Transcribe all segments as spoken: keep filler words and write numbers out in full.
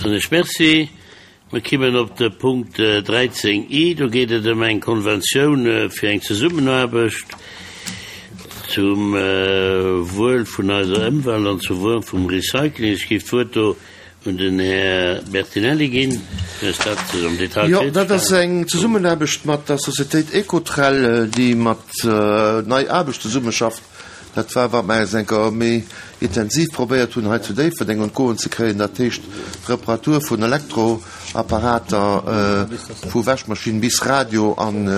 Soen ech Merci. Mir kimmen op de Punkt dräizéng i. Do geet et ëm eng Konventioun fir eng Zesummenaarbecht zum Wuel vun eiser Ëmwelt an zum Wuel vum Recycling. Ech géif d'Wuert do un den Här Bertinelli ginn, fir eis dat am Detail Jo, dat ass eng Zesummenaarbecht mat der Societéit Ecotrel, déi mat Nei Aarbecht zesummeschafft. Dat war, wat mer eis eng Kéier méi intensiv probéiert hunn hei zu Déifferdeng un d'Goen ze kréien, dat heescht d'Reparatur vun Elektroapparater, vu Wäschmaschinn bis Radio. An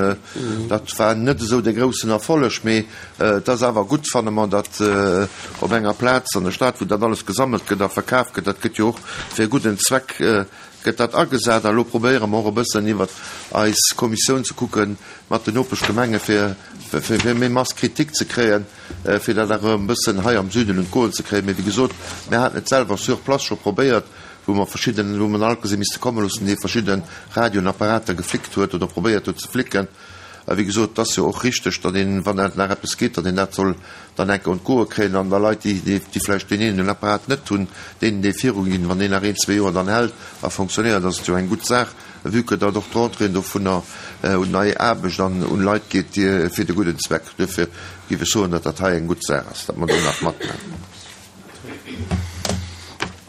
dat war net esou dee groussen Erfolleg, mee et ass awer gutt, fanne mer, datt op enger Plaz an der Stad, wou dat alles gesammelt gëtt a verkaf gëtt, dat gëtt jo och fir e gudden Zweck gëtt dat agesat. A lo probéiere mer och e bëssen iwwert eis Kommissioun ze kucken mat den Nopeschgemenge fir fir méi Masse critique ze kréien, fir dat awer e bëssen hei am Süden un d'Goen ze kréien. Mee wéi gesot, mir haten et selwer sur place scho probéiert, wou mer verschidden, wou mer en Alkes hu misste komme loossen, dee verschidde Radioen, Apparater geflickt huet oder probéiert huet ze flicken. A wéi gesot, et ass jo och richteg, datt een, wann dat nach eppes geet, datt een dat soll dann enke un d'Goe kréien an da Leit, déi, déi vläicht deen eenen Apparat net hunn, deenen dee viruginn. Wann deen nach een, zwee Joer dann hält a fonctionnéiert, ass et jo eng gutt Saach, vue que datt och d'Rentrée dovunner un nei Aarbecht an un Leit geet, déi fir de gudden Zweck. Duerfir géif ech soen, datt dat hei eng gutt Saach ass, datt mer do nach matmaachen.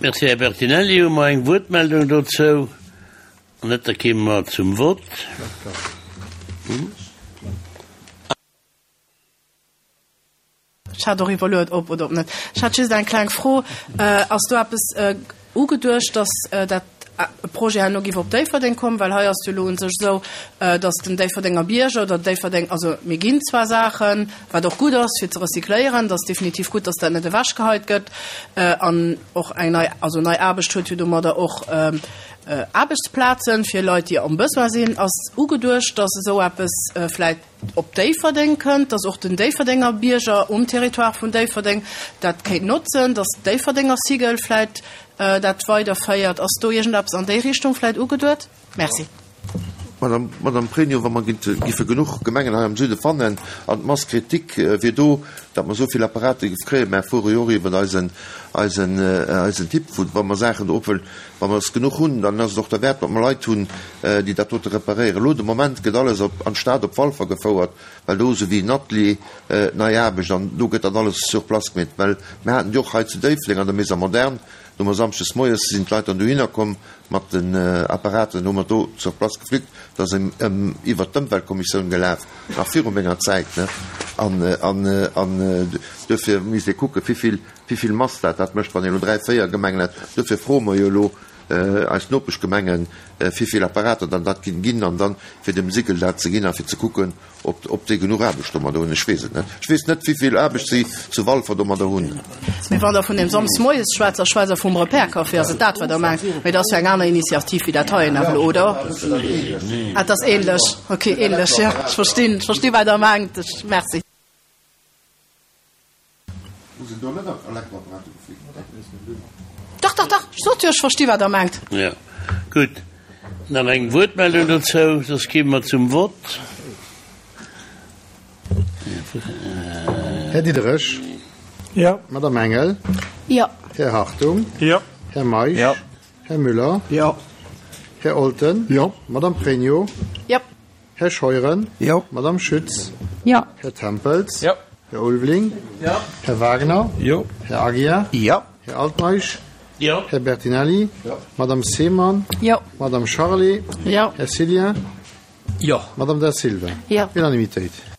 Merci, Här Bertinelli. Hu mer eng Wuertmeldung dozou? Wann net, da kéime mer zum Vott. Ech hat och iwwerluet, ob oder ob net. Ech hat just eng kleng Fro. Ass do eppes ugeduecht, dass dat Projet herno géif op Déifferdeng kommen? Well hei ass et jo elo u sech esou, dass den Déifferdenger Bierger oder Déifferdeng, also mir ginn zwar Saachen, wat och gutt ass fir ze recycléieren, dat ass definitiv gutt, dass dat net ewechgeheit gëtt an och eng nei, also nei Aarbecht huet jo domadder och Aarbechtsplazen fir Leit, déi am Besoin sinn. Ass ugeduecht, dass esou eppes vläit op Déifferdeng kënnt, dass och den Déifferdenger Bierger um Territoire vun Déifferdeng dat kéint notzen, dass d'Déifferdenger Sigel vläit dat weiderféiert? Ass do iergendeppes an déi Richtung vläit ugeduet? Merci. Madame, Madame Pregno, wa mer giffe genuch Gemengen hei am Süde fannen an d'Masse critique wier do, datt mer esou vill Apparate giff kréien, mer fuere jo och iwwert eisen, eisen, eisen Typ, wou, wa mer Saachen do opwëllen, wa mer es genuch hunn, dann ass et och derwäert, datt mer Leit hunn, déi dat dote reparéieren. Elo de Moment gëtt alles op, an d'Stad op Walfer gefouert, well do esou wéi en Atelier, nei Aarbecht an do gëtt dat alles sur place gemeet, well mer haten déi och hei zu Déifferdeng an der Maison moderne, do hu mer samschdes moies sinn d'Leit dann dohinner komm mat den Apparaten, hu mer do sur place geflickt. Dat ass iwwert d'Ëmweltkommissioun gelaf, nach viru menger Zäit, ne? An, an, an duerfir misst ee kucken, wivill, wivill Mass dat dat mécht, wann een elo dräi, véier Gemengen hätt. Duerfir froe mer jo elo eis Nopeschgemengen, wivill Apparater dann dat ginn ginn, an dann fir dem Sigel dat ze ginn a fir ze kucken, ob, ob déi genuch Aarbecht domadder hunn. Ech weess et net. Ech weess net, wivill Aarbecht si zu Walfer domadder hunn. Mee wann Der vun deem Samsdes moies schwätzt, da schwätzt Der vum Repair-Café. Ass et dat, wat Der mengt? Mee dat ass jo eng aner Initiativ wéi dat heien awer elo, oder? Ah, et ass ähnlech. Okay, ähnlech, jo. Ech verstinn, ech verstinn, wat Der mengt. Ech, merci. Hu se do net Elektroapparater geflickt? Dach, dach, dach, ech sot jo, ech versti wat Der mengt. Jo, gutt. Nach eng Wuertmeldung dozou, soss gi mer zum Vott. Här Diderich. Jo. Madame Engel. Jo. Här Hartung. Jo. Här Meisch. Jo. Här Müller. Jo. Här Olten. Jo. Madame Pregno. Jo. Här Scheuren. Jo. Madame Schütz. Jo. Här Tempels. Jo. Här Ulveling. Jo. Här Wagner. Jo. Här Aguiar. Jo. Här Altmeisch. Jo. Här Bertinelli. Jo. Madame Seemann. Jo. Madame Charlé. Jo. Här Cillien. Jo. Madame Da Silva. Jo. Unanimitéit.